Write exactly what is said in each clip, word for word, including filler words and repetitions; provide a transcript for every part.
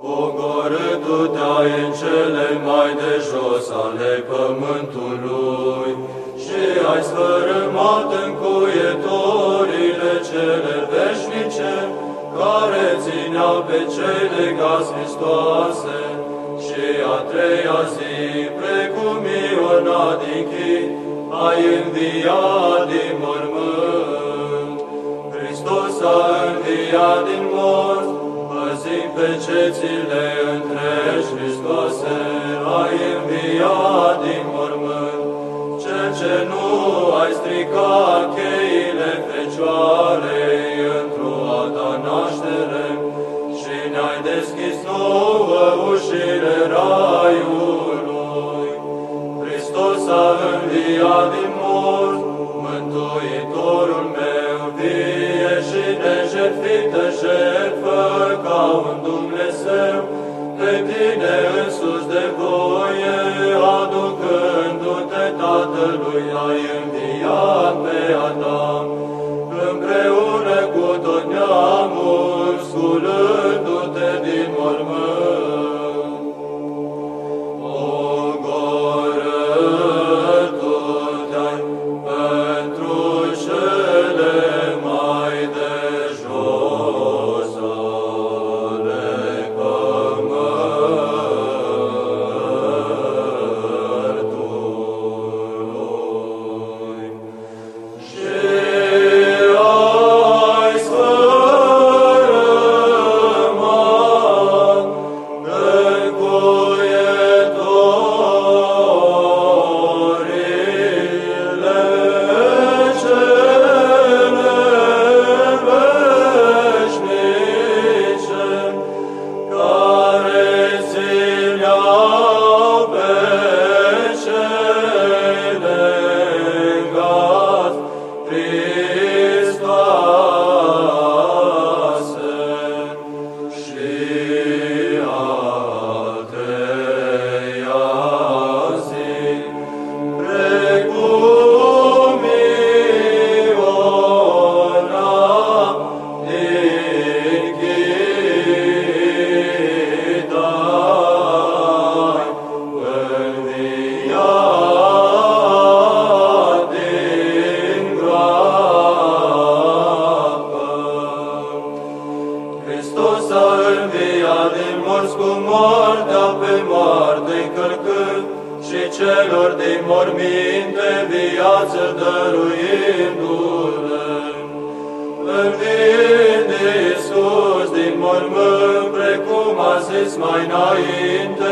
Pogorâtu-te-ai în cele mai de jos ale pământului și ai sfărâmat încuietorile cele veșnice, care țineau pe cei legați Hristoase. Și a treia zi, precum Iona din Chit, ai înviat din mormânt. Hristos a înviat din morți, păzind pe cețile întregi Hristoase, ai înviat din mormânt. Cel ce nu ai stricat cheile Fecioarei într-o a ta naștere și ne-ai deschis nouă ușile raiului. Hristos a înviat din morți, Mântuitorul meu, vie și nejertfită jertfă ca un Dumnezeu, pe tine însuți de voie, aducându-te Tatălui, ai înviat pe Adam, împreună cu tot neamul, sculându-te din mormânt. Pogorâtu-te-ai pentru cele mai de jos ale pământului și ai sfărâmat încuietorile cele veșnice, care țineau pe cei legați Hristoase. Și a treia zi, precum Iona din Chit, ai înviat din groapă. Hristos a înviat din morți cu moartea pe moarte încălcând și celor din morminte viață dăruindu-le. Înviind Iisus din mormânt, precum a zis mai înainte,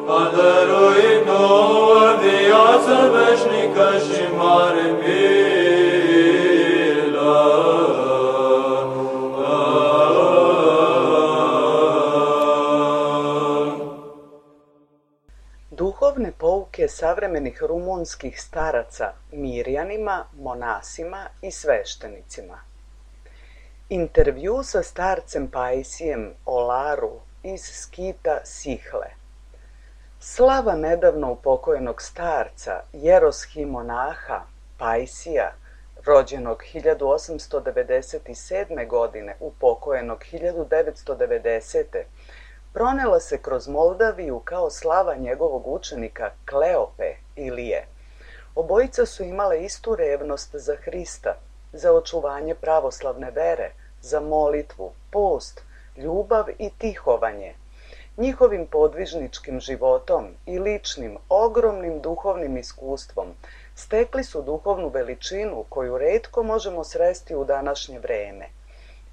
a dăruit nouă viață veșnică și mare milă. Duhovne pouke savremenih rumunskih staraca Mirjanima, monasima i sveštenicima. Intervju sa starcem Paisijem Olaru iz skita Sihle. Slava nedavno upokojenog starca, jeroshimonaha Paisija, rođenog hiljadu osamsto devedeset sedme. godine, upokojenog hiljadu devetsto devedesete. pronela se kroz Moldaviju kao slava njegovog učenika Kleope Ilije. Obojica su imale istu revnost za Hrista, za očuvanje pravoslavne vere, za molitvu, post, ljubav i tihovanje. Njihovim podvižničkim životom i ličnim, ogromnim duhovnim iskustvom stekli su duhovnu veličinu koju retko možemo sresti u današnje vreme.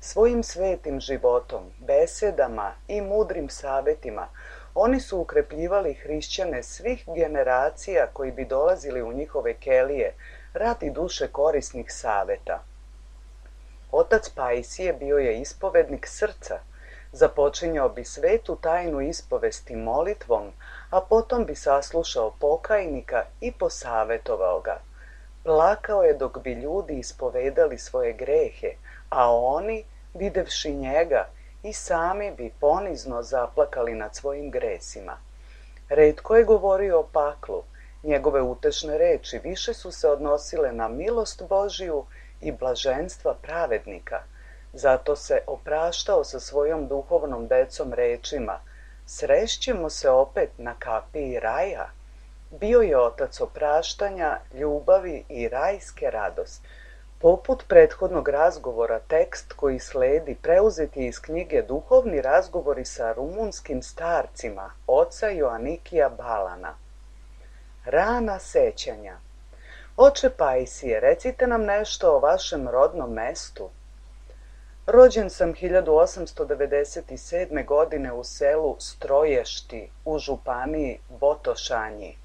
Svojim svetim životom, besedama i mudrim savetima oni su ukrepljivali hrišćane svih generacija koji bi dolazili u njihove kelije radi duše korisnih saveta. Otac Paisije bio je ispovednik srca, započinjao bi svetu tajnu ispovesti molitvom, a potom bi saslušao pokajnika i posavetovao ga. Plakao je dok bi ljudi ispovedali svoje grehe, a oni, videvši njega, i sami bi ponizno zaplakali nad svojim gresima. Retko je govorio o paklu, njegove utešne reči više su se odnosile na milost Božiju i blaženstva pravednika. Zato se opraštao sa svojom duhovnom decom rečima: Srešćemo se opet na kapiji raja. Bio je otac opraštanja, ljubavi i rajske radosti. Poput prethodnog razgovora, tekst koji sledi preuzet je iz knjige Duhovni razgovori sa rumunskim starcima oca Joanikija Balana. Rana sećanja. Oče Pajsije, recite nam nešto o vašem rodnom mestu. Rođen sam hiljadu osamsto devedeset sedme. godine u selu Stroješti u županiji Botošanji.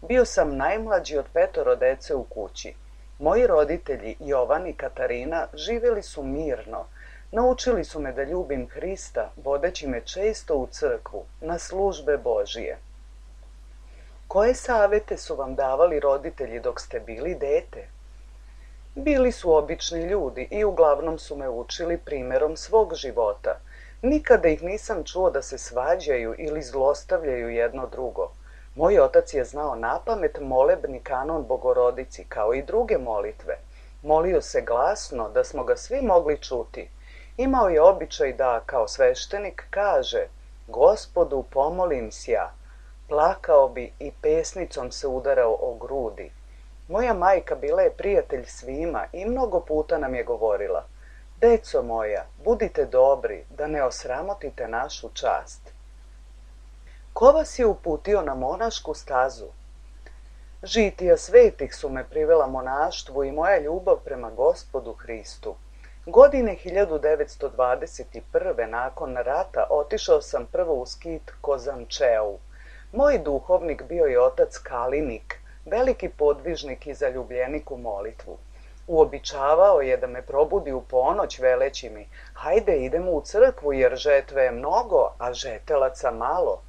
Bio sam najmlađi od petoro dece u kući. Moji roditelji, Jovan i Katarina, živjeli su mirno. Naučili su me da ljubim Hrista, vodeći me često u crkvu, na službe Božije. Koje savete su vam davali roditelji dok ste bili dete? Bili su obični ljudi i uglavnom su me učili primjerom svog života. Nikada ih nisam čuo da se svađaju ili zlostavljaju jedno drugo. Moj otac je znao napamet molebni kanon Bogorodici, kao i druge molitve. Molio se glasno, da smo ga svi mogli čuti. Imao je običaj da, kao sveštenik, kaže: Gospodu, pomolim sja. Plakao bi i pesnicom se udarao o grudi. Moja majka bila je prijatelj svima i mnogo puta nam je govorila: Deco moja, budite dobri, da ne osramotite našu čast. Ko vas je uputio na monašku stazu? Žitija svetih su me privela monaštvu i moja ljubav prema Gospodu Hristu. Godine hiljadu devetsto dvadeset prve. nakon rata otišao sam prvo u skit Kozančeu. Moj duhovnik bio je otac Kalinik, veliki podvižnik i zaljubljenik u molitvu. Uobičavao je da me probudi u ponoć veleći mi: Hajde, idemo u crkvu jer žetve je mnogo, a žetelaca malo.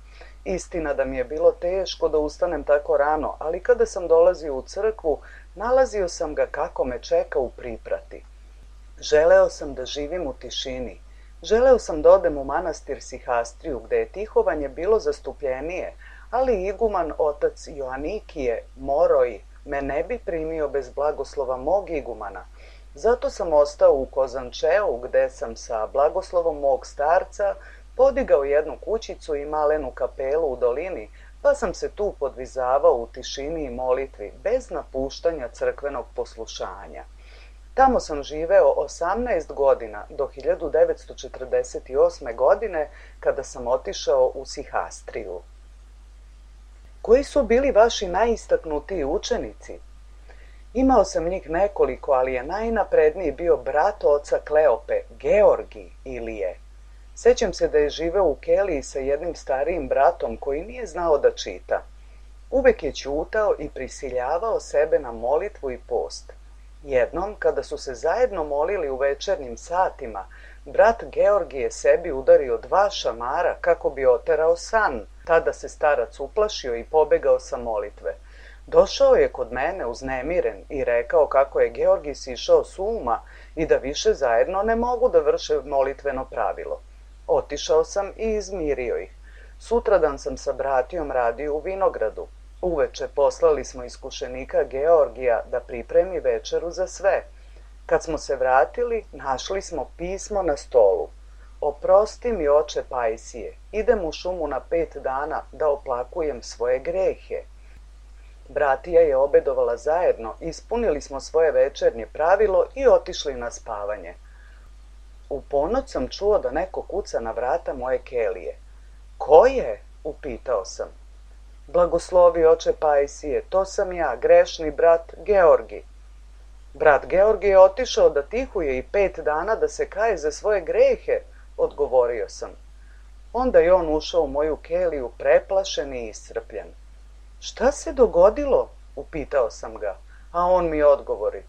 Istina da mi je bilo teško da ustanem tako rano, ali kada sam dolazio u crkvu, nalazio sam ga kako me čeka u priprati. Želeo sam da živim u tišini. Želeo sam da odem u manastir Sihastriju, gde je tihovanje bilo zastupljenije, ali iguman otac Joanikije, Moroj, me ne bi primio bez blagoslova mog igumana. Zato sam ostao u Kozančeu, gde sam sa blagoslovom mog starca podigao jednu kućicu i malenu kapelu u dolini, pa sam se tu podvizavao u tišini i molitvi, bez napuštanja crkvenog poslušanja. Tamo sam živeo osamnaest godina, do hiljadu devetsto četrdeset osme. godine, kada sam otišao u Sihastriju. Koji su bili vaši najistaknutiji učenici? Imao sam njih nekoliko, ali je najnapredniji bio brat oca Kleope, Georgi Ilije. Sećam se da je živeo u keliji sa jednim starijim bratom koji nije znao da čita. Uvek je ćutao i prisiljavao sebe na molitvu i post. Jednom, kada su se zajedno molili u večernjim satima, brat Georgi je sebi udario dva šamara kako bi oterao san. Tada se starac uplašio i pobegao sa molitve. Došao je kod mene uznemiren i rekao kako je Georgi sišao s uma i da više zajedno ne mogu da vrše molitveno pravilo. Otišao sam i izmirio ih. Sutradan sam sa bratijom radio u vinogradu. Uveče poslali smo iskušenika Georgija da pripremi večeru za sve. Kad smo se vratili, našli smo pismo na stolu. Oprosti mi, oče Pajsije, idem u šumu na pet dana da oplakujem svoje grehe. Bratija je obedovala zajedno, ispunili smo svoje večernje pravilo i otišli na spavanje. U ponoć sam čuo da neko kuca na vrata moje kelije. Ko je? Upitao sam. Blagoslovi, oče Pajsije, to sam ja, grešni brat Georgi. Brat Georgi je otišao da tihuje i pet dana da se kaje za svoje grehe, odgovorio sam. Onda je on ušao u moju keliju preplašen i iscrpljen. Šta se dogodilo? Upitao sam ga, a on mi odgovori.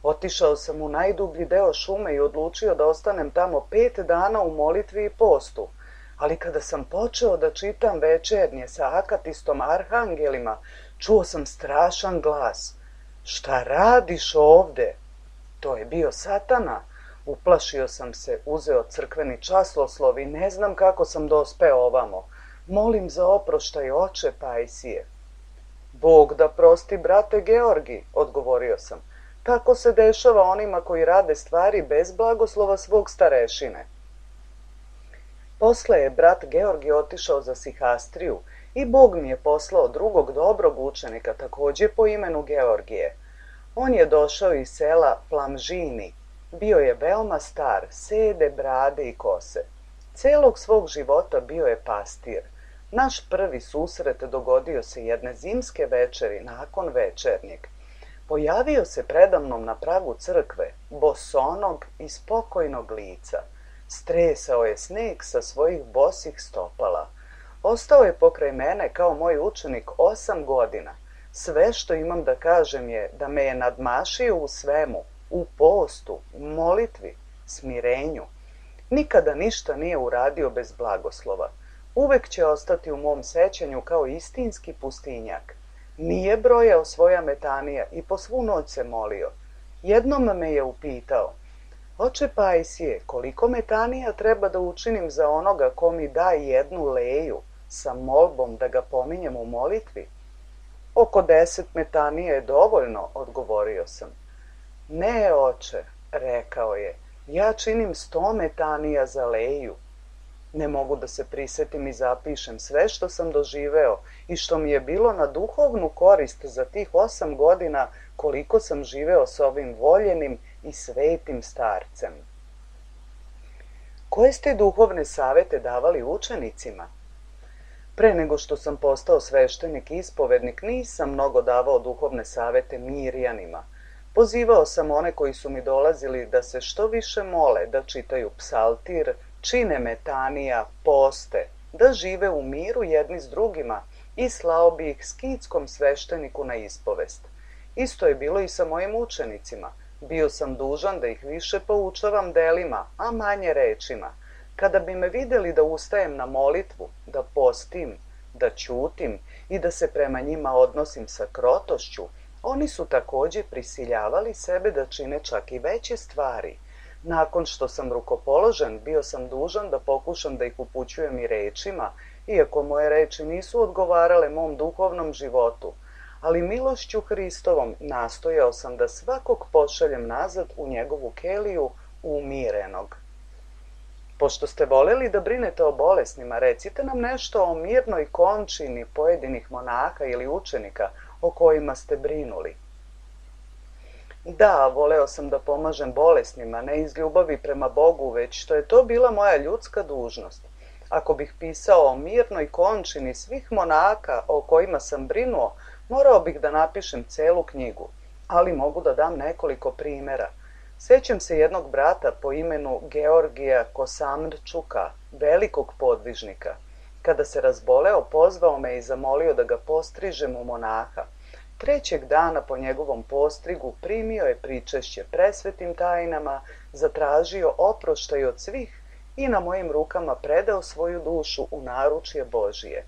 Otišao sam u najdublji deo šume i odlučio da ostanem tamo pet dana u molitvi i postu, ali kada sam počeo da čitam večernje sa akatistom arhangelima, čuo sam strašan glas. Šta radiš ovde? To je bio Satana. Uplašio sam se, uzeo crkveni časloslov i ne znam kako sam dospeo ovamo. Molim za oproštaj, oče Pajsije. Bog da prosti, brate Georgi, odgovorio sam. Tako se dešava onima koji rade stvari bez blagoslova svog starešine. Posle je brat Georgije otišao za Sihastriju i Bog mi je poslao drugog dobrog učenika, također po imenu Georgije. On je došao iz sela Plamžini. Bio je veoma star, sede, brade i kose. Celog svog života bio je pastir. Naš prvi susret dogodio se jedne zimske večeri nakon večernjeg. Pojavio se predamnom na pragu crkve, bosonog i spokojnog lica. Stresao je sneg sa svojih bosih stopala. Ostao je pokraj mene kao moj učenik osam godina. Sve što imam da kažem je da me je nadmašio u svemu, u postu, u molitvi, smirenju. Nikada ništa nije uradio bez blagoslova. Uvek će ostati u mom sećanju kao istinski pustinjak. Nije brojao svoja metanija i po svu noć se molio. Jednom me je upitao: Oče Pajsije, koliko metanija treba da učinim za onoga ko mi da jednu leju, sa molbom da ga pominjem u molitvi? Oko deset metanija je dovoljno, odgovorio sam. Ne, oče, rekao je, ja činim sto metanija za leju. Ne mogu da se prisetim i zapišem sve što sam doživeo i što mi je bilo na duhovnu korist za tih osam godina koliko sam živeo s ovim voljenim i svetim starcem. Koje ste duhovne savete davali učenicima? Pre nego što sam postao sveštenik i ispovednik, nisam mnogo davao duhovne savete Mirjanima. Pozivao sam one koji su mi dolazili da se što više mole, da čitaju psaltir, čine metanija, poste, da žive u miru jedni s drugima i slao bi ih skitskom svešteniku na ispovest. Isto je bilo i sa mojim učenicima. Bio sam dužan da ih više poučavam delima, a manje rečima. Kada bi me vidjeli da ustajem na molitvu, da postim, da ćutim i da se prema njima odnosim sa krotošću, oni su također prisiljavali sebe da čine čak i veće stvari. Nakon što sam rukopoložen, bio sam dužan da pokušam da ih upućujem i rečima, iako moje reči nisu odgovarale mom duhovnom životu, ali milošću Hristovom nastojao sam da svakog pošaljem nazad u njegovu keliju umirenog. Pošto ste voleli da brinete o bolesnima, recite nam nešto o mirnoj končini pojedinih monaha ili učenika o kojima ste brinuli. Da, voleo sam da pomažem bolesnima, ne iz ljubavi prema Bogu, već što je to bila moja ljudska dužnost. Ako bih pisao o mirnoj končini svih monaka o kojima sam brinuo, morao bih da napišem celu knjigu, ali mogu da dam nekoliko primjera. Sjećam se jednog brata po imenu Georgija Kosamrčuka, velikog podvižnika. Kada se razboleo, pozvao me i zamolio da ga postrižem u monaha. Trećeg dana po njegovom postrigu primio je pričešće presvetim tajnama, zatražio oproštaj od svih i na mojim rukama predao svoju dušu u naručje Božije.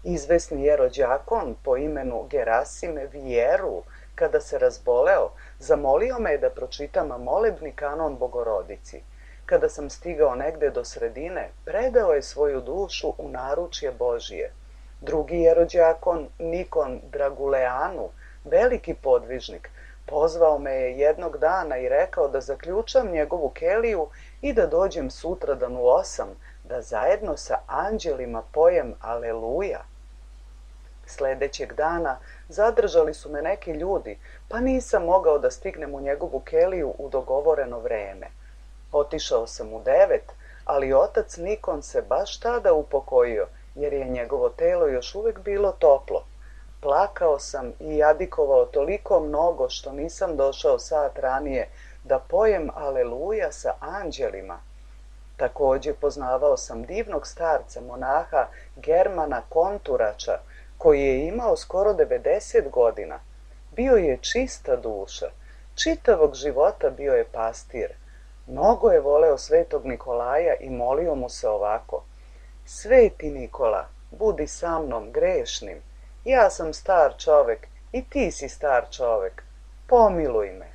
Izvesni jerođakon po imenu Gerasim Vjeru, kada se razboleo, zamolio me da pročitam molebni kanon Bogorodici. Kada sam stigao negde do sredine, predao je svoju dušu u naručje Božije. Drugi jerođakon, Nikon Draguleanu, veliki podvižnik, pozvao me je jednog dana i rekao da zaključam njegovu keliju i da dođem sutradan u osam, da zajedno sa anđelima pojem Aleluja. Sledećeg dana zadržali su me neki ljudi, pa nisam mogao da stignem u njegovu keliju u dogovoreno vreme. Otišao sam u devet, ali otac Nikon se baš tada upokojio, jer je njegovo telo još uvijek bilo toplo. Plakao sam i jadikovao toliko mnogo što nisam došao sat ranije da pojem Aleluja sa anđelima. Također poznavao sam divnog starca, monaha Germana Konturača, koji je imao skoro devedeset godina. Bio je čista duša, čitavog života bio je pastir. Mnogo je voleo svetog Nikolaja i molio mu se ovako: Sveti Nikola, budi sa mnom grešnim. Ja sam star čovek i ti si star čovek. Pomiluj me.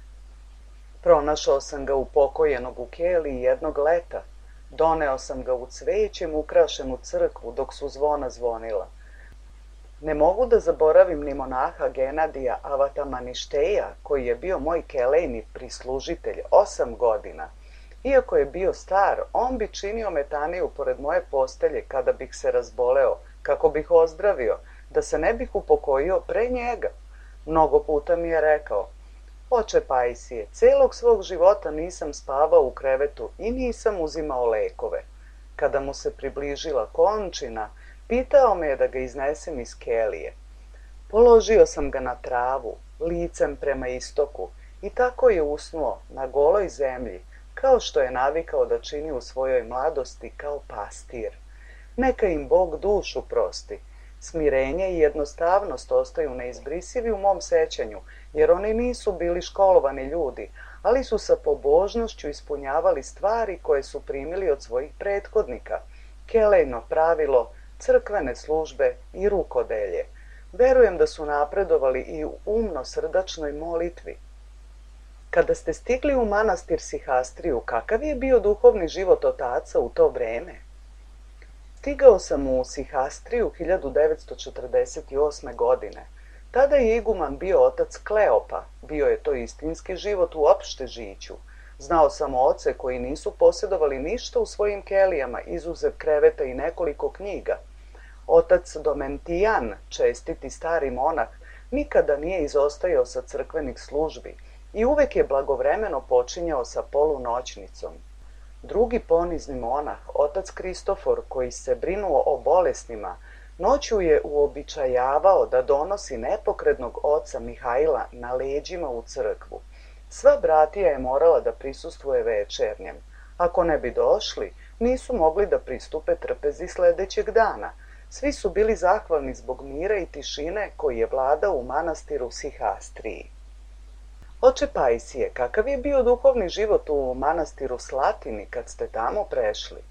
Pronašao sam ga upokojenog u keliji jednog leta. Doneo sam ga u cvećem ukrašenu crkvu dok su zvona zvonila. Ne mogu da zaboravim ni monaha Genadija Avatamaništeja, koji je bio moj kelejni prislužitelj osam godina. Iako je bio star, on bi činio metaniju pored moje postelje kada bih se razboleo, kako bih ozdravio, da se ne bih upokojio pre njega. Mnogo puta mi je rekao: oče Pajsije, celog svog života nisam spavao u krevetu i nisam uzimao lekove. Kada mu se približila končina, pitao me je da ga iznesem iz kelije. Položio sam ga na travu, licem prema istoku, i tako je usnuo na goloj zemlji, kao što je navikao da čini u svojoj mladosti kao pastir. Neka im Bog dušu prosti. Smirenje i jednostavnost ostaju neizbrisivi u mom sećanju, jer oni nisu bili školovani ljudi, ali su sa pobožnošću ispunjavali stvari koje su primili od svojih prethodnika: kelejno pravilo, crkvene službe i rukodelje. Verujem da su napredovali i u umno-srdačnoj molitvi. Kada ste stigli u manastir Sihastriju, kakav je bio duhovni život otaca u to vreme? Stigao sam u Sihastriju hiljadu devetsto četrdeset osme. godine. Tada je iguman bio otac Kleopa. Bio je to istinski život u opšte žiću. Znao sam oce koji nisu posjedovali ništa u svojim kelijama, izuzev kreveta i nekoliko knjiga. Otac Domentijan, čestiti stari monah, nikada nije izostajao sa crkvenih službi i uvek je blagovremeno počinjao sa polunoćnicom. Drugi ponizni monah, otac Kristofor, koji se brinuo o bolesnima, noću je uobičajavao da donosi nepokretnog oca Mihajla na leđima u crkvu. Sva bratija je morala da prisustvuje večernjem. Ako ne bi došli, nisu mogli da pristupe trpezi sledećeg dana. Svi su bili zahvalni zbog mira i tišine koji je vladao u manastiru Sihastriji. Oče Pajsije, kakav je bio duhovni život u manastiru Slatini kad ste tamo prešli?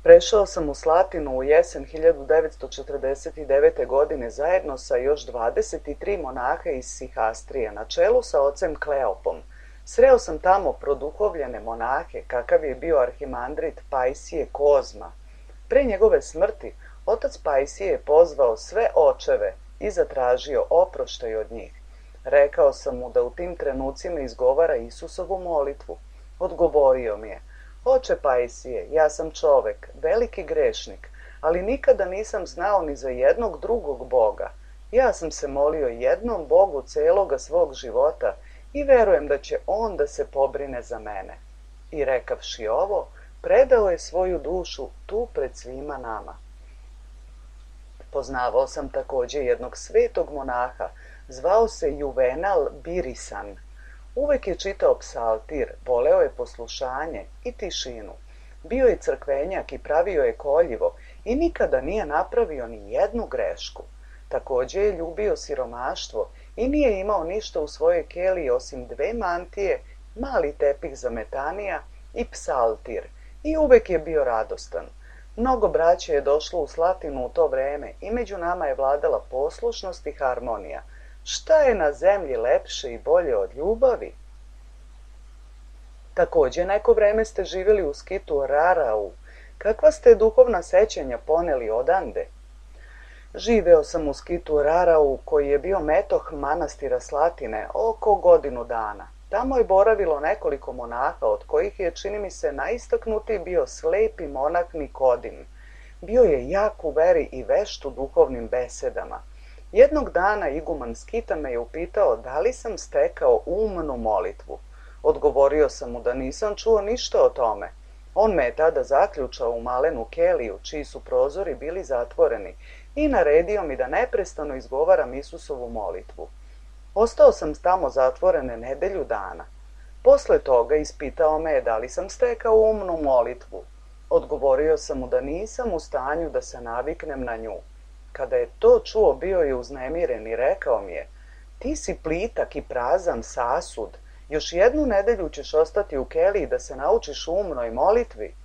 Prešao sam u Slatinu u jesen hiljadu devetsto četrdeset devete. godine zajedno sa još dvadeset tri monaha iz Sihastrije na čelu sa ocem Kleopom. Sreo sam tamo produhovljene monahe, kakav je bio arhimandrit Pajsije Kozma. Pre njegove smrti, otac Pajsije je pozvao sve očeve i zatražio oproštaj od njih. Rekao sam mu da u tim trenucima izgovara Isusovu molitvu. Odgovorio mi je: oče Pajsije, ja sam čovek, veliki grešnik, ali nikada nisam znao ni za jednog drugog Boga. Ja sam se molio jednom Bogu celoga svog života i verujem da će On da se pobrine za mene. I rekavši ovo, predao je svoju dušu tu pred svima nama. Poznavao sam takođe jednog svetog monaha, zvao se Juvenal Birisan. Uvek je čitao psaltir, voleo je poslušanje i tišinu. Bio je crkvenjak i pravio je koljivo i nikada nije napravio ni jednu grešku. Takođe je ljubio siromaštvo i nije imao ništa u svojoj keliji osim dve mantije, mali tepih za metanija i psaltir, i uvek je bio radostan. Mnogo braće je došlo u Slatinu u to vreme i među nama je vladala poslušnost i harmonija. Šta je na zemlji lepše i bolje od ljubavi? Takođe neko vreme ste živjeli u skitu Rarau. Kakva ste duhovna sećanja poneli odande? Živeo sam u skitu Rarau, koji je bio metoh manastira Slatine, oko godinu dana. Tamo je boravilo nekoliko monaha, od kojih je, čini mi se, najistaknutiji bio slepi monah Nikodim. Bio je jak u veri i vešt u duhovnim besedama. Jednog dana iguman skita me je upitao da li sam stekao umnu molitvu. Odgovorio sam mu da nisam čuo ništa o tome. On me je tada zaključao u malenu keliju, čiji su prozori bili zatvoreni, i naredio mi da neprestano izgovaram Isusovu molitvu. Ostao sam tamo zatvorene nedelju dana. Posle toga ispitao me je da li sam stekao umnu molitvu. Odgovorio sam mu da nisam u stanju da se naviknem na nju. Kada je to čuo, bio je uznemiren i rekao mi je: ti si plitak i prazan sasud, još jednu nedelju ćeš ostati u keliji da se naučiš umnoj molitvi.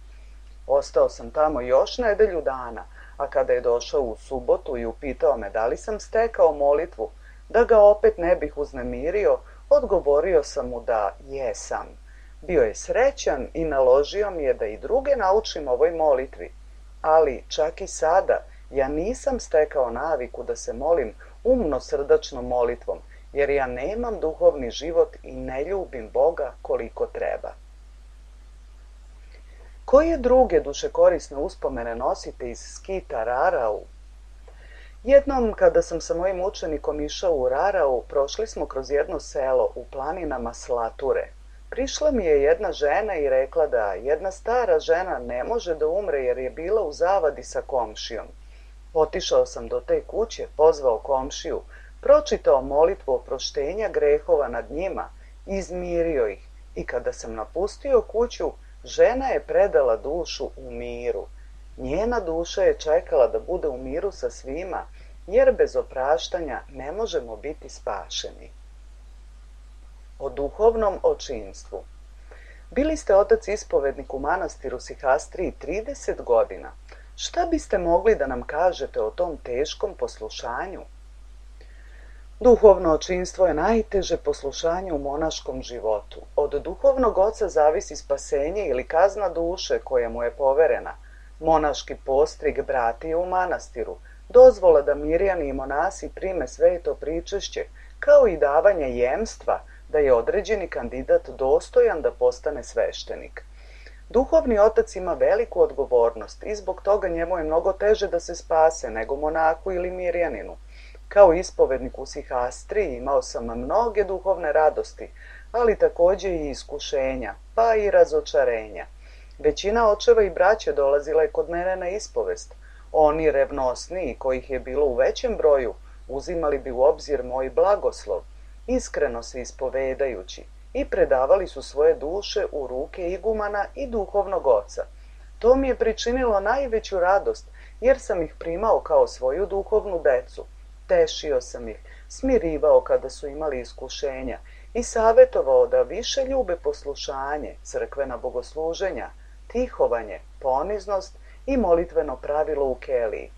Ostao sam tamo još nedelju dana, a kada je došao u subotu i upitao me da li sam stekao molitvu, da ga opet ne bih uznemirio, odgovorio sam mu da jesam. Bio je srećan i naložio mi je da i druge naučim ovoj molitvi, ali čak i sada ja nisam stekao naviku da se molim umno srdačnom molitvom, jer ja nemam duhovni život i ne ljubim Boga koliko treba. Koje druge dušekorisne uspomene nosite iz skita Rarau? Jednom, kada sam sa mojim učenikom išao u Rarau, prošli smo kroz jedno selo u planinama Slature. Prišla mi je jedna žena i rekla da jedna stara žena ne može da umre jer je bila u zavadi sa komšijom. Otišao sam do te kuće, pozvao komšiju, pročitao molitvu oproštenja grehova nad njima, izmirio ih i kada sam napustio kuću, žena je predala dušu u miru. Njena duša je čekala da bude u miru sa svima, jer bez opraštanja ne možemo biti spašeni. O duhovnom očinstvu. Bili ste otac ispovednik u manastiru Sihastriji trideset godina. Šta biste mogli da nam kažete o tom teškom poslušanju? Duhovno očinstvo je najteže poslušanje u monaškom životu. Od duhovnog oca zavisi spasenje ili kazna duše koja mu je poverena. Monaški postrig bratije u manastiru, dozvola da mirjani i monasi prime sveto pričešće, kao i davanje jemstva da je određeni kandidat dostojan da postane sveštenik. Duhovni otac ima veliku odgovornost i zbog toga njemu je mnogo teže da se spase nego monaku ili mirjaninu. Kao ispovednik u Sihastriji imao sam mnoge duhovne radosti, ali također i iskušenja, pa i razočarenja. Većina očeva i braće dolazila je kod mene na ispovest. Oni revnosniji, kojih je bilo u većem broju, uzimali bi u obzir moj blagoslov, iskreno se ispovedajući, i predavali su svoje duše u ruke igumana i duhovnog oca. To mi je pričinilo najveću radost, jer sam ih primao kao svoju duhovnu decu. Tešio sam ih, smirivao kada su imali iskušenja i savjetovao da više ljube poslušanje, crkvena bogosluženja, tihovanje, poniznost i molitveno pravilo u keliji.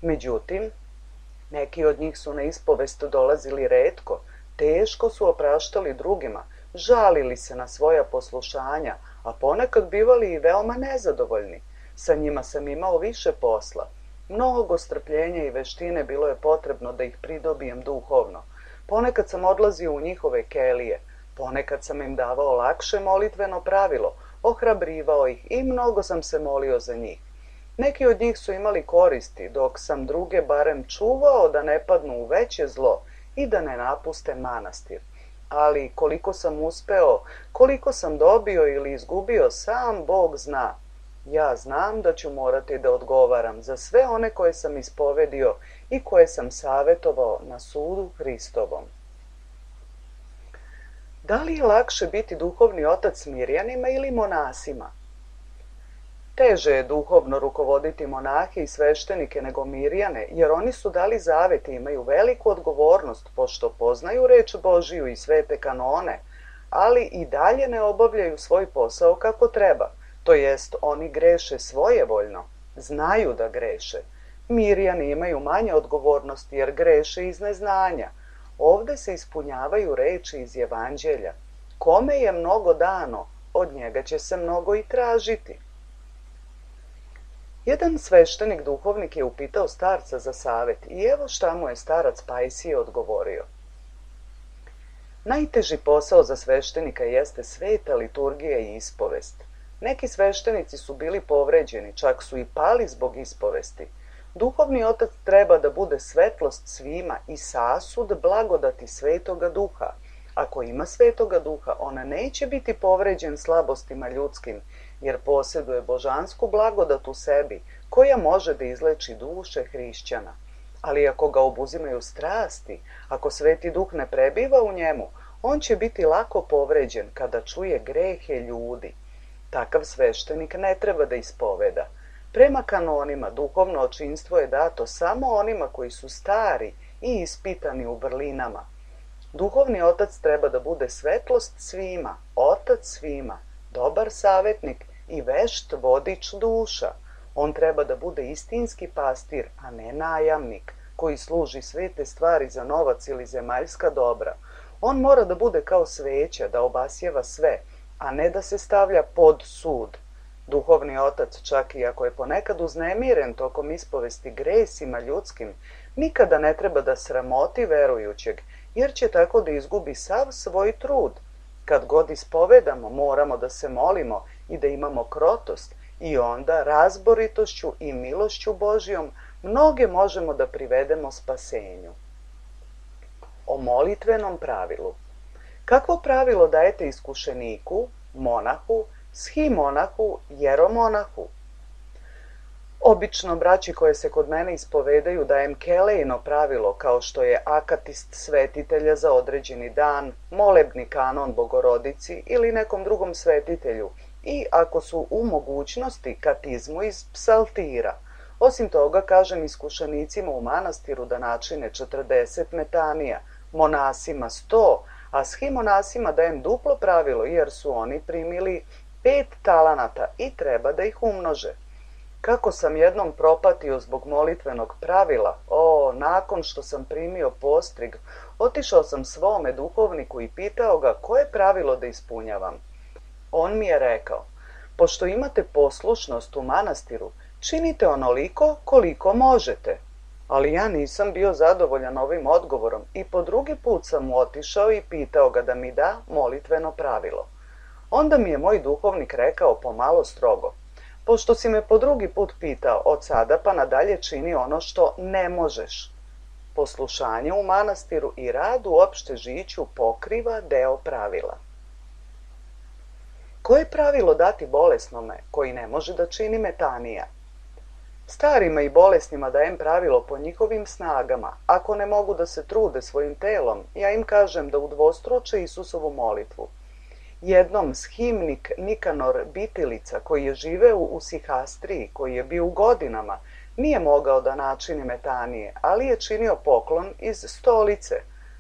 Međutim, neki od njih su na ispovest dolazili retko, teško su opraštali drugima, žalili se na svoja poslušanja, a ponekad bivali i veoma nezadovoljni. Sa njima sam imao više posla. Mnogo strpljenja i veštine bilo je potrebno da ih pridobijem duhovno. Ponekad sam odlazio u njihove kelije, ponekad sam im davao lakše molitveno pravilo, ohrabrivao ih i mnogo sam se molio za njih. Neki od njih su imali koristi, dok sam druge barem čuvao da ne padnu u veće zlo i da ne napuste manastir. Ali koliko sam uspeo, koliko sam dobio ili izgubio, sam Bog zna. Ja znam da ću morati da odgovaram za sve one koje sam ispovedio i koje sam savjetovao na sudu Hristovom. Da li je lakše biti duhovni otac mirjanima ili monasima? Teže je duhovno rukovoditi monahe i sveštenike nego mirjane, jer oni su dali zavet i imaju veliku odgovornost, pošto poznaju reč Božiju i svete kanone, ali i dalje ne obavljaju svoj posao kako treba. To jest, oni greše svojevoljno, znaju da greše. Mirjani imaju manje odgovornosti jer greše iz neznanja. Ovdje se ispunjavaju reči iz Evanđelja. Kome je mnogo dano, od njega će se mnogo i tražiti. Jedan sveštenik duhovnik je upitao starca za savjet i evo šta mu je starac Pajsije odgovorio. Najteži posao za sveštenika jeste sveta liturgija i ispovest. Neki sveštenici su bili povređeni, čak su i pali zbog ispovesti. Duhovni otac treba da bude svetlost svima i sasud blagodati Svetoga Duha. Ako ima Svetoga Duha, ona neće biti povređen slabostima ljudskim, jer posjeduje božansku blagodat u sebi, koja može da izleči duše hrišćana. Ali ako ga obuzimaju strasti, ako Sveti Duh ne prebiva u njemu, on će biti lako povređen kada čuje grehe ljudi. Takav sveštenik ne treba da ispoveda. Prema kanonima, duhovno očinstvo je dato samo onima koji su stari i ispitani u vrlinama. Duhovni otac treba da bude svetlost svima, otac svima, dobar savjetnik i vešt vodič duša. On treba da bude istinski pastir, a ne najamnik, koji služi svete stvari za novac ili zemaljska dobra. On mora da bude kao sveća, da obasjeva sve, a ne da se stavlja pod sud. Duhovni otac, čak i ako je ponekad uznemiren tokom ispovesti gresima ljudskim, nikada ne treba da sramoti verujućeg, jer će tako da izgubi sav svoj trud. Kad god ispovedamo, moramo da se molimo i da imamo krotost, I onda razboritošću i milošću Božjom mnoge možemo da privedemo spasenju. O molitvenom pravilu. Kakvo pravilo dajete iskušeniku, monahu, shimonahu, jeromonahu? Obično braći koje se kod mene ispovedaju dajem kelejno pravilo kao što je akatist svetitelja za određeni dan, molebni kanon Bogorodici ili nekom drugom svetitelju i ako su u mogućnosti katizmu iz psaltira. Osim toga kažem iskušenicima u manastiru da načine četrdeset metanija, monasima sto, a shimonasima dajem duplo pravilo jer su oni primili pet talanata i treba da ih umnože. Kako sam jednom propatio zbog molitvenog pravila, o, nakon što sam primio postrig, otišao sam svome duhovniku i pitao ga koje pravilo da ispunjavam. On mi je rekao, pošto imate poslušnost u manastiru, činite onoliko koliko možete. Ali ja nisam bio zadovoljan ovim odgovorom i po drugi put sam mu otišao i pitao ga da mi da molitveno pravilo. Onda mi je moj duhovnik rekao pomalo strogo, pošto si me po drugi put pitao, od sada pa nadalje čini ono što ne možeš. Poslušanje u manastiru i rad u opšte žiću pokriva deo pravila. Koje pravilo dati bolesnome koji ne može da čini metanija? Starima i bolesnima dajem pravilo po njihovim snagama. Ako ne mogu da se trude svojim telom, ja im kažem da udvostruče Isusovu molitvu. Jednom shimnik Nikanor Bitilica, koji je živeo u Sihastriji, koji je bio u godinama, nije mogao da načini metanije, ali je činio poklon iz stolice.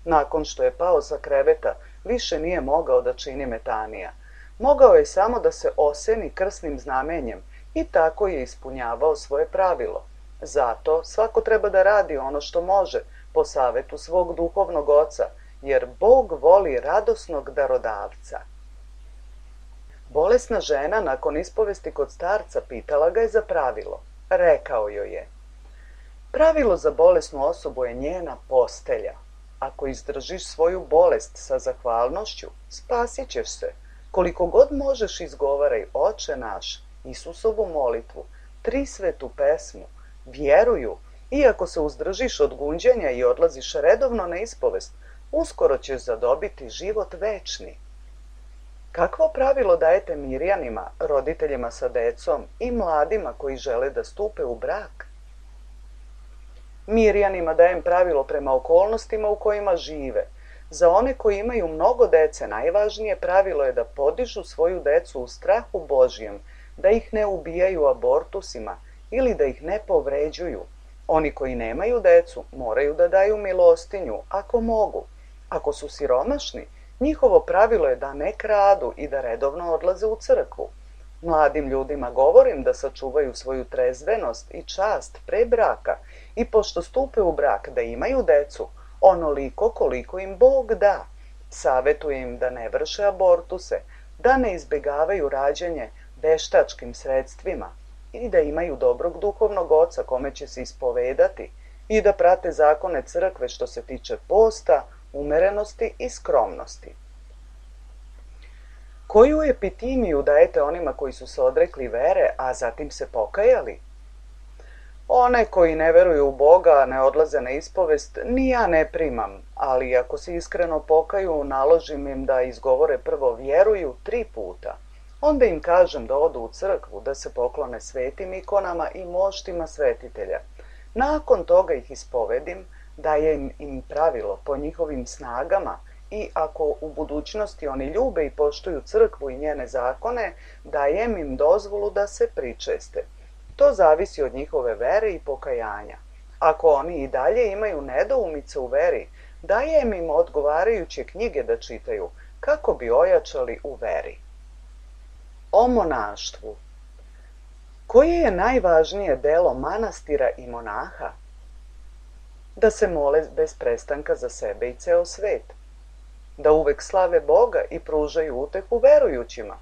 Nakon što je pao sa kreveta, više nije mogao da čini metanija. Mogao je samo da se oseni krsnim znamenjem i tako je ispunjavao svoje pravilo. Zato svako treba da radi ono što može po savetu svog duhovnog oca, jer Bog voli radosnog darodavca. Bolesna žena nakon ispovesti kod starca pitala ga je za pravilo. Rekao joj je, pravilo za bolesnu osobu je njena postelja. Ako izdržiš svoju bolest sa zahvalnošću, spasit ćeš se. Koliko god možeš izgovaraj Oče naš, Isusovu molitvu, Trisvetu pesmu, vjeruju, iako se uzdržiš od gunđenja i odlaziš redovno na ispovest, uskoro ćeš zadobiti život večni. Kakvo pravilo dajete mirjanima, roditeljima sa decom i mladima koji žele da stupe u brak? Mirjanima dajem pravilo prema okolnostima u kojima žive. Za one koji imaju mnogo dece, najvažnije pravilo je da podižu svoju decu u strahu Božjem, da ih ne ubijaju abortusima ili da ih ne povređuju. Oni koji nemaju decu moraju da daju milostinju, ako mogu. Ako su siromašni, njihovo pravilo je da ne kradu i da redovno odlaze u crkvu. Mladim ljudima govorim da sačuvaju svoju trezvenost i čast pre braka i pošto stupe u brak da imaju decu, onoliko koliko im Bog da. Savetujem im da ne vrše abortuse, da ne izbegavaju rađanje veštačkim sredstvima i da imaju dobrog duhovnog oca kome će se ispovedati i da prate zakone crkve što se tiče posta, umerenosti i skromnosti. Koju epitimiju dajete onima koji su se odrekli vere, a zatim se pokajali? One koji ne veruju u Boga, ne odlaze na ispovest, ni ja ne primam, ali ako se iskreno pokaju, naložim im da izgovore prvo vjeruju tri puta. Onda im kažem da odu u crkvu, da se poklone svetim ikonama i moštima svetitelja. Nakon toga ih ispovedim, dajem im pravilo po njihovim snagama i ako u budućnosti oni ljube i poštuju crkvu i njene zakone, dajem im dozvolu da se pričeste. To zavisi od njihove vere i pokajanja. Ako oni i dalje imaju nedoumice u veri, dajem im odgovarajuće knjige da čitaju, kako bi ojačali u veri. O monaštvu. Koje je najvažnije delo manastira i monaha? Da se mole bez prestanka za sebe i ceo svet. Da uvek slave Boga i pružaju utehu verujućima.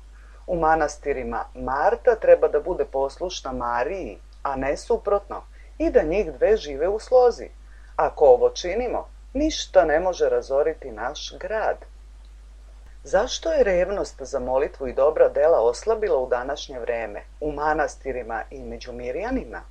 U manastirima Marta treba da bude poslušna Mariji, a ne suprotno, i da njih dve žive u slozi. Ako ovo činimo, ništa ne može razoriti naš grad. Zašto je revnost za molitvu i dobra dela oslabila u današnje vreme, u manastirima i među Mirjanima?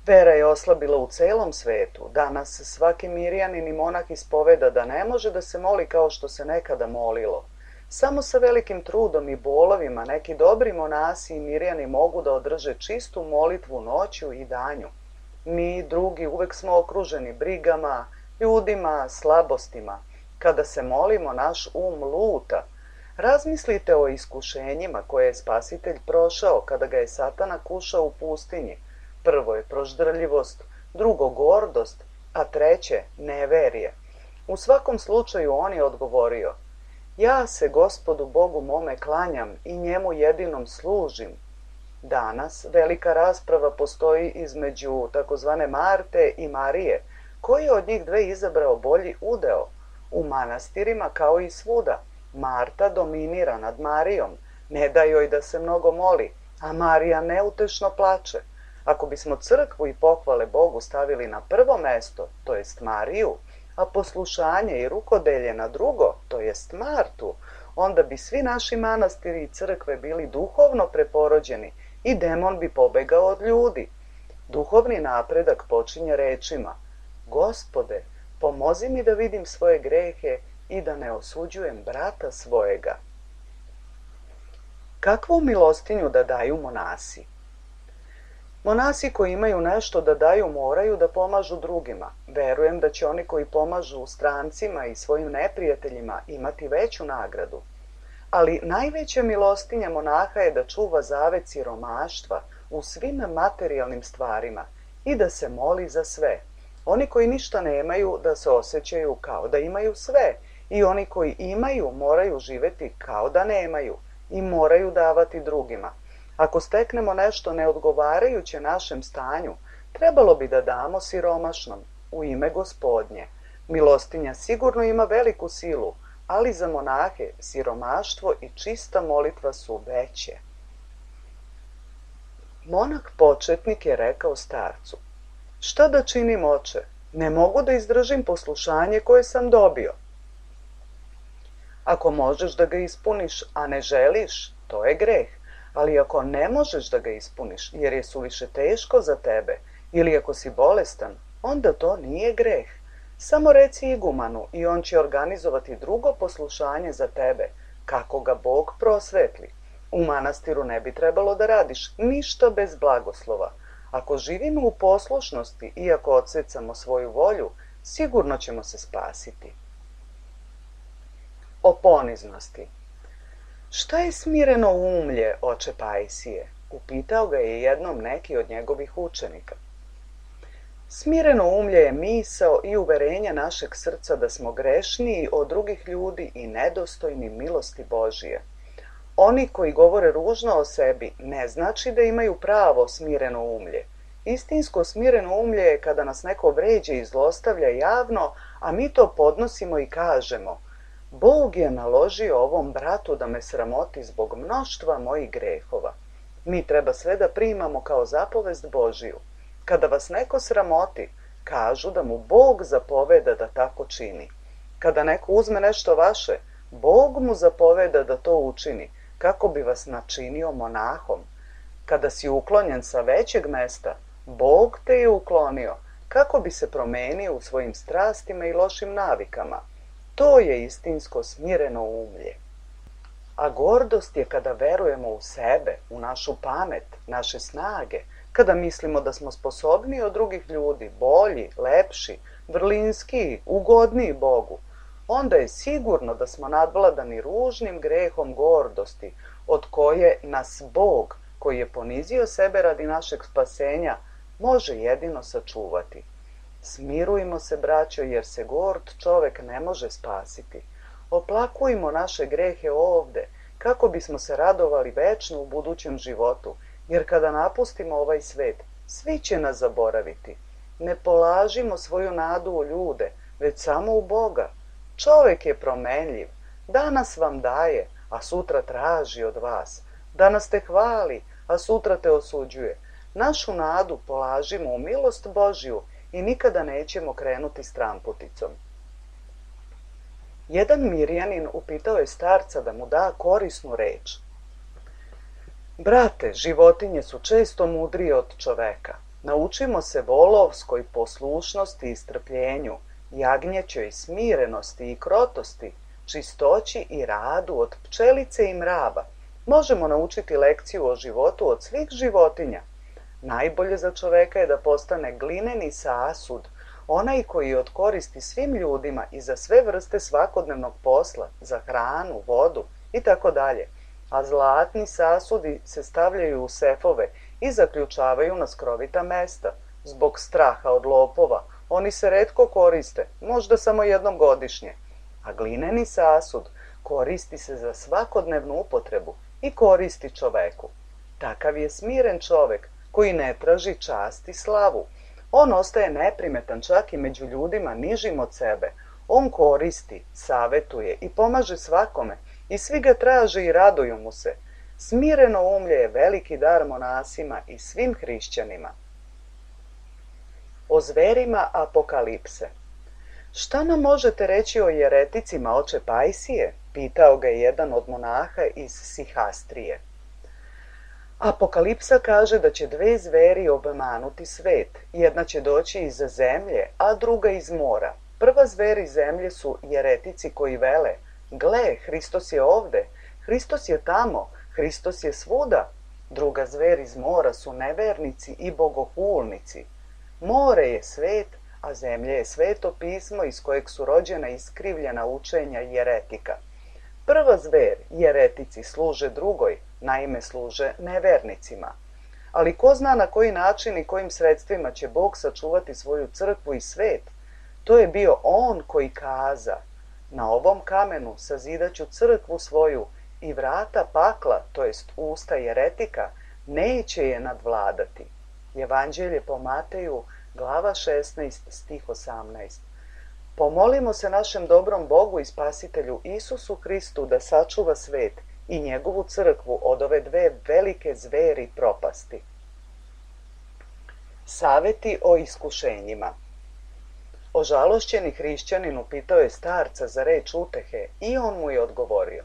Vera je oslabila u celom svetu. Danas svaki Mirjanin i monah ispoveda da ne može da se moli kao što se nekada molilo. Samo sa velikim trudom i bolovima neki dobri monasi i Mirjani mogu da održe čistu molitvu noću i danju. Mi, drugi, uvek smo okruženi brigama, ljudima, slabostima. Kada se molimo, naš um luta. Razmislite o iskušenjima koje je Spasitelj prošao kada ga je Satana kušao u pustinji. Prvo je proždrljivost, drugo gordost, a treće neverje. U svakom slučaju on je odgovorio: ja se Gospodu Bogu mome klanjam i njemu jedinom služim. Danas velika rasprava postoji između takozvane Marte i Marije, koji je od njih dve izabrao bolji udeo. U manastirima kao i svuda, Marta dominira nad Marijom, ne da joj da se mnogo moli, a Marija neutešno plače. Ako bismo crkvu i pohvale Bogu stavili na prvo mesto, to jest Mariju, a poslušanje i rukodelje na drugo, to jest Martu, onda bi svi naši manastiri i crkve bili duhovno preporođeni i demon bi pobegao od ljudi. Duhovni napredak počinje rečima: Gospode, pomozi mi da vidim svoje grehe i da ne osuđujem brata svojega. Kakvu milostinju da daju monasi? Monasi koji imaju nešto da daju moraju da pomažu drugima. Verujem da će oni koji pomažu strancima i svojim neprijateljima imati veću nagradu. Ali najveća milostinja monaha je da čuva zavet siromaštva u svim materijalnim stvarima i da se moli za sve. Oni koji ništa nemaju da se osjećaju kao da imaju sve i oni koji imaju moraju živeti kao da nemaju i moraju davati drugima. Ako steknemo nešto neodgovarajuće našem stanju, trebalo bi da damo siromašnom u ime Gospodnje. Milostinja sigurno ima veliku silu, ali za monahe siromaštvo i čista molitva su veće. Monah početnik je rekao starcu: šta da činim, oče? Ne mogu da izdržim poslušanje koje sam dobio. Ako možeš da ga ispuniš, a ne želiš, to je greh. Ali ako ne možeš da ga ispuniš, jer je suviše teško za tebe, ili ako si bolestan, onda to nije greh. Samo reci igumanu i on će organizovati drugo poslušanje za tebe, kako ga Bog prosvetli. U manastiru ne bi trebalo da radiš ništa bez blagoslova. Ako živimo u poslušnosti i ako odsecamo svoju volju, sigurno ćemo se spasiti. O poniznosti. Šta je smireno umlje, oče Pajsije? Upitao ga je jednom neki od njegovih učenika. Smireno umlje je misao i uverenje našeg srca da smo grešniji od drugih ljudi i nedostojni milosti Božije. Oni koji govore ružno o sebi ne znači da imaju pravo smireno umlje. Istinsko smireno umlje je kada nas neko vređa i zlostavlja javno, a mi to podnosimo i kažemo: Bog je naložio ovom bratu da me sramoti zbog mnoštva mojih grehova. Mi treba sve da primamo kao zapovest Božiju. Kada vas neko sramoti, kažu da mu Bog zapoveda da tako čini. Kada neko uzme nešto vaše, Bog mu zapoveda da to učini, kako bi vas načinio monahom. Kada si uklonjen sa većeg mesta, Bog te je uklonio, kako bi se promenio u svojim strastima i lošim navikama. To je istinsko smireno umlje. A gordost je kada verujemo u sebe, u našu pamet, naše snage, kada mislimo da smo sposobniji od drugih ljudi, bolji, lepši, vrlinskiji, ugodniji Bogu. Onda je sigurno da smo nadvladani ružnim grehom gordosti, od koje nas Bog, koji je ponizio sebe radi našeg spasenja, može jedino sačuvati. Smirujmo se, braćo, jer se gord čovek ne može spasiti. Oplakujmo naše grehe ovde, kako bismo se radovali večno u budućem životu, jer kada napustimo ovaj svet, svi će nas zaboraviti. Ne polažimo svoju nadu u ljude, već samo u Boga. Čovek je promenljiv, danas vam daje, a sutra traži od vas. Danas te hvali, a sutra te osuđuje. Našu nadu polažimo u milost Božju i nikada nećemo krenuti stramputicom. Jedan Mirjanin upitao je starca da mu da korisnu reč. Brate, životinje su često mudrije od čoveka. Naučimo se volovskoj poslušnosti i strpljenju, jagnjećoj smirenosti i krotosti, čistoći i radu od pčelice i mrava. Možemo naučiti lekciju o životu od svih životinja. Najbolje za čoveka je da postane glineni sasud, onaj koji odkoristi svim ljudima i za sve vrste svakodnevnog posla, za hranu, vodu i tako dalje. A zlatni sasudi se stavljaju u sefove i zaključavaju na skrovita mesta. Zbog straha od lopova oni se retko koriste, možda samo jednom godišnje. A glineni sasud koristi se za svakodnevnu upotrebu i koristi čoveku. Takav je smiren čovek koji ne traži čast i slavu. On ostaje neprimetan čak i među ljudima nižim od sebe. On koristi, savetuje i pomaže svakome i svi ga traže i raduju mu se. Smireno umlje je veliki dar monasima i svim hrišćanima. O zverima apokalipse. Šta nam možete reći o jereticima, oče Pajsije? Pitao ga je jedan od monaha iz Sihastrije. Apokalipsa kaže da će dve zveri obmanuti svet. Jedna će doći iz zemlje, a druga iz mora. Prva zver iz zemlje su jeretici koji vele: gle, Hristos je ovde, Hristos je tamo, Hristos je svuda. Druga zver iz mora su nevernici i bogohulnici. More je svet, a zemlja je sveto pismo iz kojeg su rođena iskrivljena učenja jeretika. Prva zver, jeretici, služe drugoj, naime služe nevernicima. Ali ko zna na koji način i kojim sredstvima će Bog sačuvati svoju crkvu i svet? To je bio On koji kaza: na ovom kamenu sazidaću crkvu svoju i vrata pakla, to jest usta jeretika, neće je nadvladati. Evanđelje po Mateju, glava šesnaest, stih osamnaest. Pomolimo se našem dobrom Bogu i Spasitelju Isusu Hristu da sačuva svet i njegovu crkvu od ove dve velike zveri propasti. Saveti o iskušenjima. Ožalošćeni hrišćanin upitao je starca za reč utehe i on mu je odgovorio: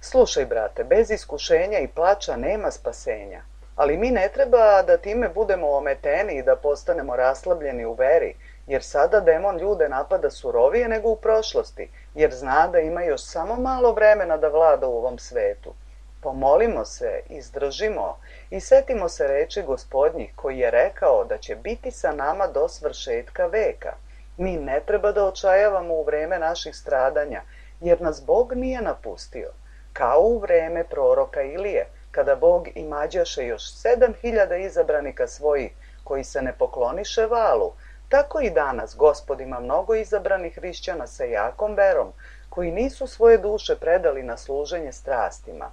slušaj, brate, bez iskušenja i plača nema spasenja, ali mi ne treba da time budemo ometeni i da postanemo raslabljeni u veri, jer sada demon ljude napada surovije nego u prošlosti, jer zna da ima još samo malo vremena da vlada u ovom svetu. Pomolimo se, izdržimo i setimo se reči Gospodnjih koji je rekao da će biti sa nama do svršetka veka. Mi ne treba da očajavamo u vreme naših stradanja, jer nas Bog nije napustio. Kao u vreme proroka Ilije, kada Bog imađaše još sedam hiljada izabranika svojih koji se ne pokloniše valu, tako i danas Gospod ima mnogo izabranih hrišćana sa jakom verom, koji nisu svoje duše predali na služenje strastima.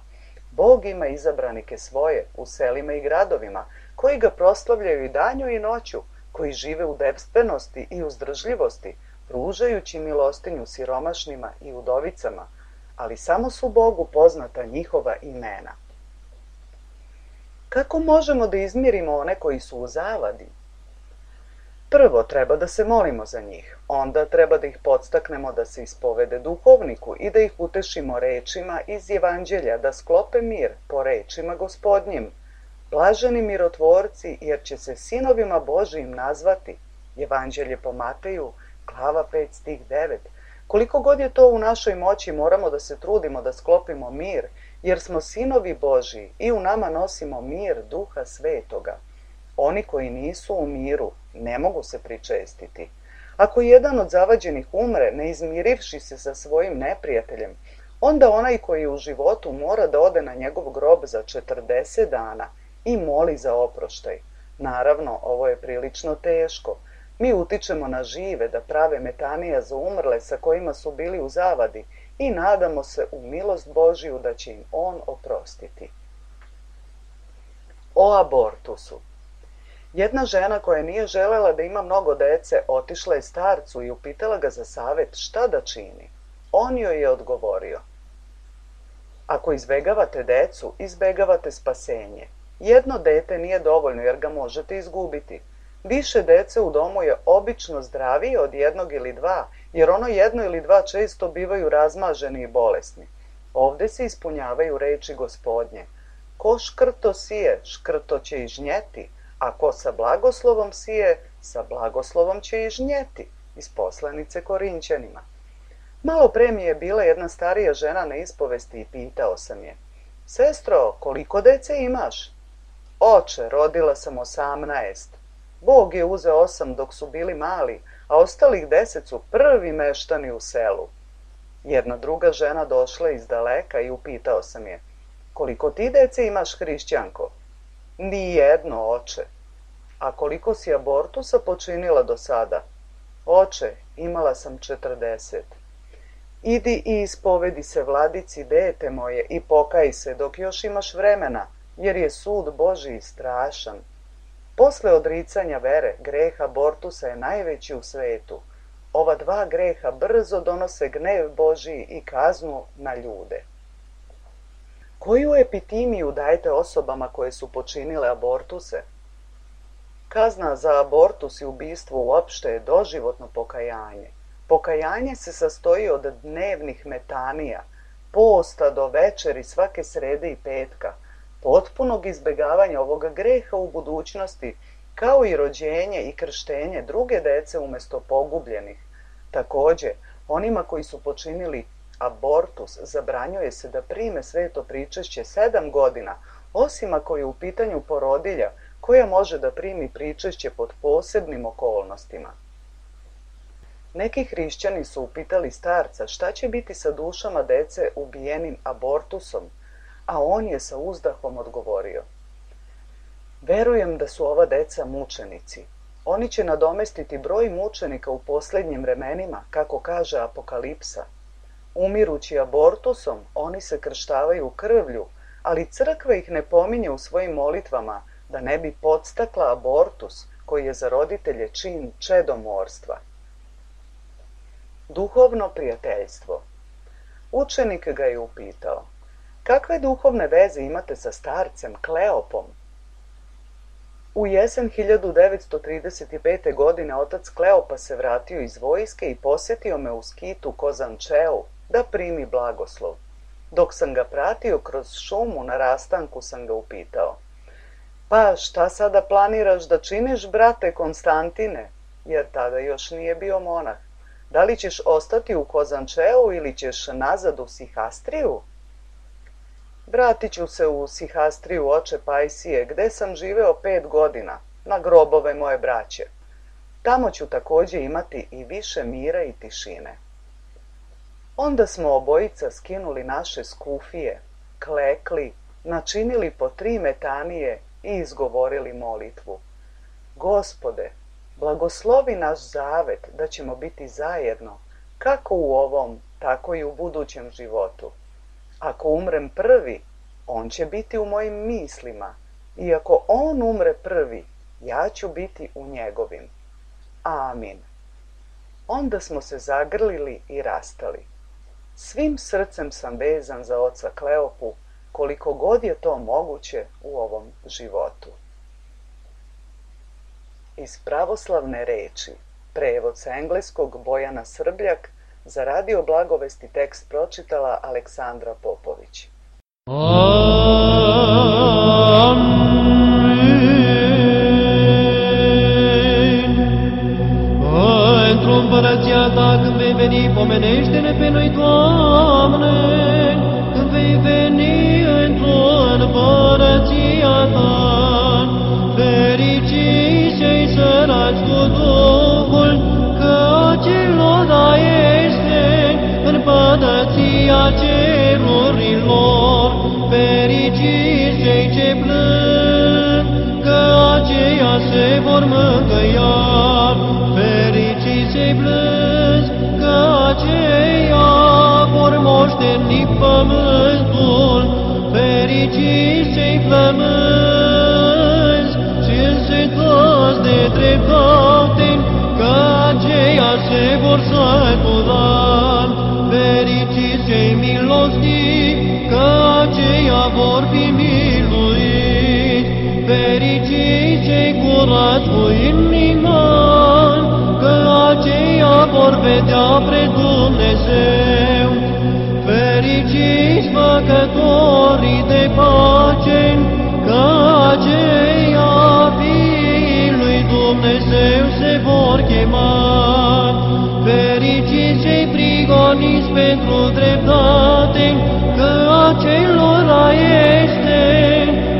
Bog ima izabranike svoje u selima i gradovima, koji ga proslavljaju i danju i noću, koji žive u devstvenosti i uzdržljivosti, pružajući milostinju siromašnima i udovicama, ali samo su Bogu poznata njihova imena. Kako možemo da izmirimo one koji su u zavadi? Prvo treba da se molimo za njih, onda treba da ih podstaknemo da se ispovede duhovniku i da ih utešimo rečima iz Evanđelja da sklope mir po rečima Gospodnjim. Blaženi mirotvorci, jer će se sinovima Božijim nazvati. Evanđelje po Mateju, glava pet, stih devet. Koliko god je to u našoj moći, moramo da se trudimo da sklopimo mir, jer smo sinovi Božiji i u nama nosimo mir Duha Svetoga. Oni koji nisu u miru ne mogu se pričestiti. Ako jedan od zavađenih umre, ne izmirivši se sa svojim neprijateljem, onda onaj koji je u životu mora da ode na njegov grob za četrdeset dana i moli za oproštaj. Naravno, ovo je prilično teško. Mi utičemo na žive da prave metanija za umrle sa kojima su bili u zavadi i nadamo se u milost Božiju da će im On oprostiti. O abortusu. Jedna žena koja nije želela da ima mnogo dece otišla je starcu i upitala ga za savet šta da čini. On joj je odgovorio: ako izbegavate decu, izbegavate spasenje. Jedno dete nije dovoljno jer ga možete izgubiti. Više dece u domu je obično zdravije od jednog ili dva, jer ono jedno ili dva često bivaju razmaženi i bolesni. Ovde se ispunjavaju reči Gospodnje. Ko škrto sije, škrto će i žnjeti, a ko sa blagoslovom sije, sa blagoslovom će i žnjeti. Iz poslanice Korinćanima. Malo pre mi je bila jedna starija žena na ispovesti i pitao sam je: Sestro, koliko dece imaš? Oče, rodila sam osamnaest. Bog je uzeo osam dok su bili mali, a ostalih deset su prvi meštani u selu. Jedna druga žena došla iz daleka i upitao sam je: Koliko ti dece imaš, hrišćanko? Nijedno, oče. A koliko si abortusa počinila do sada? Oče, imala sam četrdeset. Idi i ispovedi se vladici, dete moje, i pokaj se dok još imaš vremena, jer je sud Božji strašan. Posle odricanja vere, greh abortusa je najveći u svetu. Ova dva greha brzo donose gnev Božji i kaznu na ljude. Koju epitimiju dajete osobama koje su počinile abortuse? Kazna za abortus i ubistvo uopšte je doživotno pokajanje. Pokajanje se sastoji od dnevnih metanija, posta do večeri svake srede i petka, potpunog izbegavanja ovoga greha u budućnosti, kao i rođenje i krštenje druge dece umjesto pogubljenih. Takođe, onima koji su počinili abortus zabranjuje se da prime sveto pričešće sedam godina, osim ako je u pitanju porodilja koja može da primi pričešće pod posebnim okolnostima. Neki hrišćani su upitali starca šta će biti sa dušama dece ubijenim abortusom, a on je sa uzdahom odgovorio: Verujem da su ova deca mučenici. Oni će nadomestiti broj mučenika u posljednjim vremenima, kako kaže Apokalipsa. Umirući abortusom, oni se krštavaju krvlju, ali crkva ih ne pominje u svojim molitvama da ne bi podstakla abortus, koji je za roditelje čin čedomorstva. Duhovno prijateljstvo. Učenik ga je upitao: Kakve duhovne veze imate sa starcem Kleopom? U jesen hiljadu devetsto trideset pete. godine otac Kleopa se vratio iz vojske i posjetio me u skitu Kozančeu da primi blagoslov. Dok sam ga pratio kroz šumu na rastanku sam ga upitao: Pa šta sada planiraš da činiš, brate Konstantine? Jer tada još nije bio monah. Da li ćeš ostati u Kozančeu ili ćeš nazad u Sihastriju? Vratit ću se u Sihastriju, oče Pajsije, gde sam živeo pet godina, na grobove moje braće. Tamo ću takođe imati i više mira i tišine. Onda smo obojica skinuli naše skufije, klekli, načinili po tri metanije i izgovorili molitvu: Gospode, blagoslovi naš zavet da ćemo biti zajedno, kako u ovom, tako i u budućem životu. Ako umrem prvi, on će biti u mojim mislima, i ako on umre prvi, ja ću biti u njegovim. Amin. Onda smo se zagrlili i rastali. Svim srcem sam vezan za oca Kleopu, koliko god je to moguće u ovom životu. Iz pravoslavne reči, prevod sa engleskog Bojana Srbljak, za Radio Blagovesti tekst pročitala Aleksandra Popović. Într-o împărăția ta când vei veni, pomenește-ne pe noi, Doamne, când vei veni într-o împărăția ta. Fericiți cei săraci cu Duhul, că acelora este împărăția cerurilor. Fericiți cei ce plâng, că aceia se vor mângâia. Fericiți cei plângi, că aceia vor moșteni pământul. Fericiți cei flămânzi și însetați de dreptate, că aceia se vor sătura. Fericiți cei milostivi, că aceia vor fi miluiți. Fericiți cei curați cu inimi, dea pre Dumnezeu. Fericiți făcătorii de pace, că aceia fiii lui Dumnezeu se vor chema. Fericiți cei prigoniți pentru dreptate, că acelora este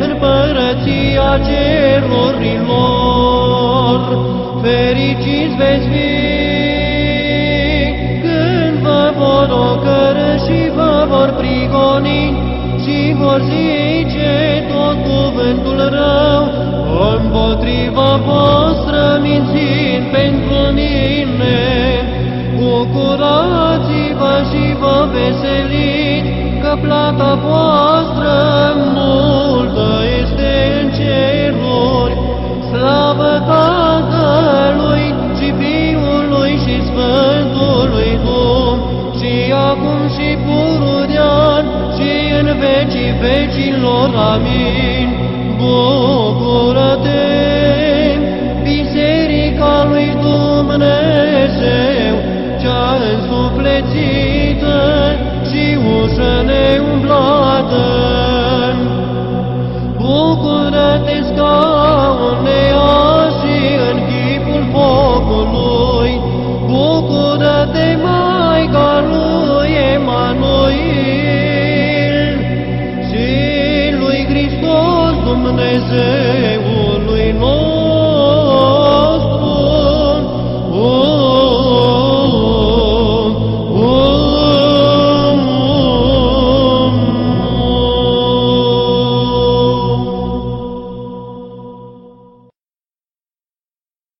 împărăția cerurilor. Fericiți veți fi când vă vor ocărî și vă vor prigoni și vor zice tot cuvântul rău împotriva voastră, mințind pentru mine. Bucurați-vă și vă veseliți, că plata voastră multă este în ceruri. Slavă Tatălui și Fiului și Sfântului Duh, și acum și pururea și în vecii vecilor. Amin. Bucură-te, Biserica lui Dumnezeu, cea însuflețită și ușă neumblată. Bucură-te, scaune